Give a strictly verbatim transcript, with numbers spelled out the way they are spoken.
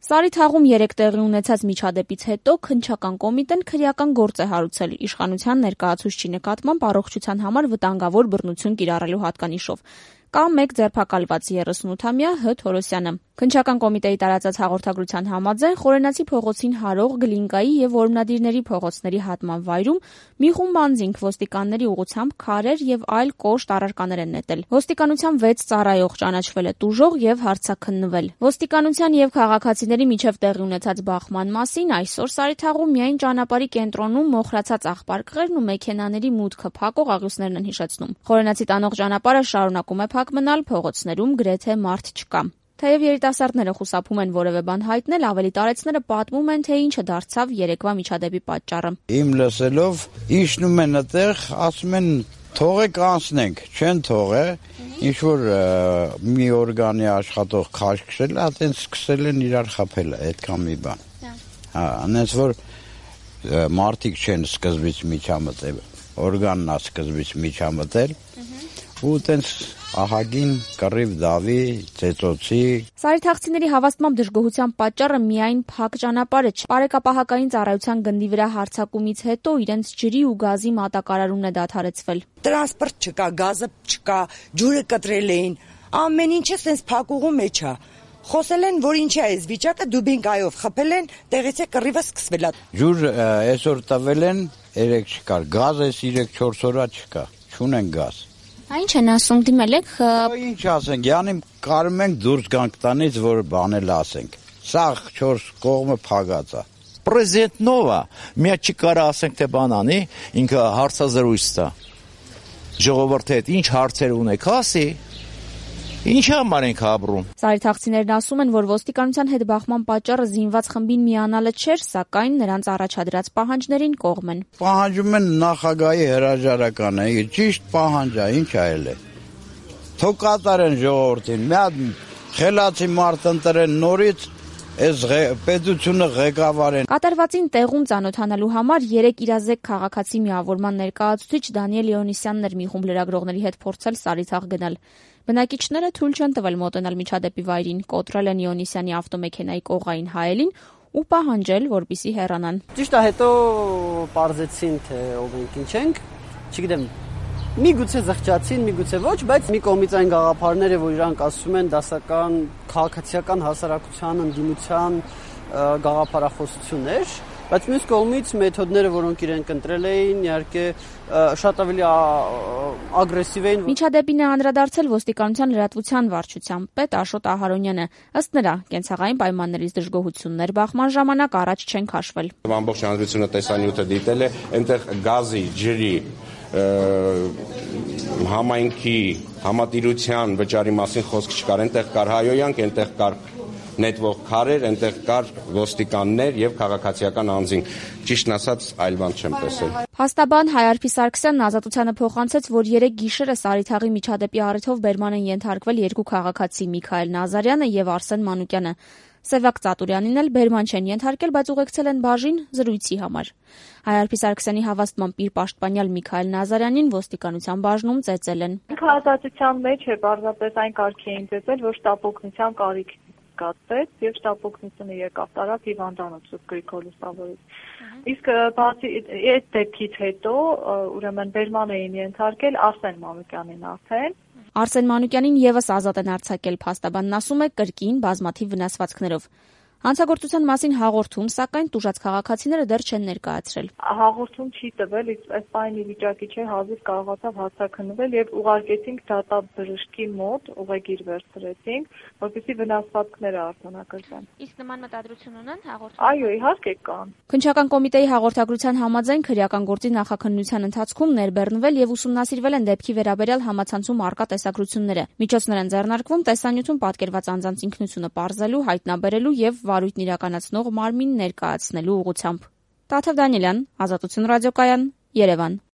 Սարի թաղում երեք տեղի ունեցած միջադեպից հետո քննչական կոմիտեն քրեական գործ է հարուցել իշխանության ներկայացուցչի նկատմամբ առողջության համար վտանգավոր բռնություն կիրառելու հատկանիշով։ Կա մեկ ձերբակալված երեսունութամյա Հ. Թորոսյանը։ Քննչական կոմիտեի տարածած հաղորդագրության համաձայն Խորենացի փողոցին հարող Գլինկայի եւ Որմնադիրների փողոցների հատման վայրում մի խումբ անձինք ոստիկանների ուղղությամբ քարեր եւ այլ կոշտ առարկաներ են նետել։ Ոստիկանության վեց ծառայող ճանաչվել է տուժող եւ հարցաքննվել։ Ոստիկանության եւ քաղաքացիների միջև տեղի ունեցած բախման մասին այսօր Սարի թաղում միայն ճանապարհի կենտրոնում մոխրացած աղբարկղերն ու մեքենաների մուտքը փակող աղյուսներն են հիշեցնում։ Խորենացի տանող ճանապարհը շարունակում է փակ մնալ, փողոցներում գրեթե մարդ չկա։ Թեև երիտասարդները խուսափում են որևէ բան հայտնել, ավելի տարեցները պատմում են, թե ինչը դարձավ երեկվա միջադեպի պատճառը։ Իմ լսելով իջնում են այդտեղ, ասում են թողեք անցնենք, չեն թողե, ինչ որ մի օրգանի աշխատող քաշքշել, այդտենց սկսել են իրար խփել, այդքան մի բան։ Հա, այնպես որ մարդիկ չեն սկզբից միջամտել, օրգանն է սկզբից միջամտել, ու այդտենց ահագին կռիվ դավի, ծեծոցի։ Սարի թաղցիների հավաստմամբ դժգոհության պատճառը միայն փակ ճանապարհը չէ։ Բարեկապահական ծառայության գնդի վրա հարձակումից հետո իրենց ջրի ու գազի մատակարարումն է դադարեցվել։ Տրանսպորտ չկա, գազը չկա, ջուրը կտրել էին, ամեն ինչը սենց փակուղու մեջ է։ Խոսել են, որ ինչի է այս վիճակը, դուբինկայով խփել են, տեղից է կռիվը սկսվել է։ Ջուր այսօր տվել են, երեք չկար, գազ էս երեք-չորս օրա չկա, չունեն գազ։ Ինչ են ասում, դիմել եք։ Ինչ ասենք, յանի կարում ենք դուրս գանք տանից, որ բանել ասենք։ Սաղ չորս կողմը փագած է։ Պրեզիդենտ նովա, միա չի կարա ասենք թե բան անի, ինքը հարցազրույց տա։ Ժողովրդի հետ ինչ հարցեր ունեք, ասի։ Ինչ համար ենք ապրում։ Սարի թաղցիներն ասում են, որ ոստիկանության հետ բախման պատճառը զինված խմբին միանալը չէր, սակայն նրանց առաջադրած պահանջներին կողմ են։ Պահանջում են նախագահի հրաժարականը, ճիշտ պահանջ է, ինչ այլ է։ Թող կատարեն ժողովրդին, մի հատ խելացի մարդ ընտրեն նորից, այս պետությունը ղեկավարեն։ Կատարվածին տեղում ծանոթանալու համար երեք իրազեկ քաղաքացի միավորման ներկայացուցիչ Դանիել Լեոնիսյանն էր մի խումբ լրագրողների հետ փորձել Սարի թաղ գնալ։ Բնակիչները թույլ չեն տվել մոտենալ միջադեպի վայրին, կոտրել են Լեոնիսյանի ավտոմեքենայի կողային հայելին ու պահանջել, որպեսզի հեռանան։ Ճիշտ է, հետո պարզեցին, թե ով ենք, ինչ ենք, չգիտեմ, միգուցե զղջացին, միգուցե ոչ, բայց մի կողմից այն գաղափարները, որ իրանք ասում են դասական, քաղաքացիական հասարակության ընդդիմության գաղափարախոսություններ, բայց մյուս կողմից մեթոդները, որոնք իրենք ընտրել էին, իհարկե շատ ավելի ագրեսիվ էին։ Միջադեպին է անդրադարձել ոստիկանության լրատվության վարչության պետ Աշոտ Ահարոնյանը։ Ըստ նրա, կենցաղային պայմաններից դժգոհություններ բախման ժամանակ առաջ չեն քաշվել։ Ամբողջ հանրությունը տեսանյութը դիտել է, այնտեղ գազի, ջրի, համայնքի, համատիրության վճարի մասին խոսք չկար, այնտեղ կար հայոյանք, այնտեղ կար նետվող քարեր, այնտեղ կար ոստիկաններ եւ քաղաքացիական անձինք։ Ճիշտն ասած, այլ բան չեմ տեսել։ Փաստաբան Հայարփի Սարգսյանն Ազատությանը փոխանցեց, որ երեք գիշերը Սարի թաղի միջադեպի առիթով բերման են ենթարկվել երկու քաղաքացի՝ Միքայել Նազարյանը եւ Արսեն Մանուկյանը։ Սևակ Ծատուրյանին էլ բերման չեն ենթարկել, բայց ուղեկցել են բաժին զրույցի համար։ Հայարփի Սարգսյանի հավաստմամբ իր պաշտպանյալ Միքայել Նազարյանին ոստիկանության բաժնում ծեծել են։ Քահանացության մեջ է բարձրապես այն կարգի էին ծեծել, որ շտապօգնության կարիք կացվեց եւ շտապօգնությունը եկավ տարավ հիվանդանոց Սուրբ Գրիգոր Լուսավորից։ Իսկ բացի այդ դեպքից հետո ուրեմն բերման էին ենթարկել Արսեն Մանուկյանին արդեն։ Արսեն Մանուկյանին եւս ազատ են արձակել, փաստաբանն ասում է կրկին բազմաթիվ վնասվածքներով։ Հանցագործության մասին հաղորդում, սակայն տուժած քաղաքացիները դեռ չեն ներկայացրել։ Հաղորդում չի տվել, այս պայմանի վիճակի չէ, հազիվ կարողացավ հարցաքննվել եւ ուղարկեցինք դատաբժշկի մոտ, ուղեգիր վերցրեցինք, որպեսզի վնասվածքները արձանագրվեն։ Իսկ նման մտադրություն ունեն հաղորդում։ Այո, իհարկե կան։ Քննչական կոմիտեի հաղորդագրության համաձայն քրեական գործի նախաքննության ընթացքում ներբեռնվել եւ ուսումնասիրվել են դեպքի վերաբերյալ համացանցում առկա տեսակրությունները։ Միջոցներ են ձեռնարկվում տեսանյութում պատկերված անձանց ինքնությունը պարզելու, հայտնաբերելու եւ վարույթն իրականացնող մարմին ներկայացնելու ուղղությամբ։ Տաթև Դանիելյան, Ազատություն ռադիոկայան, Երևան։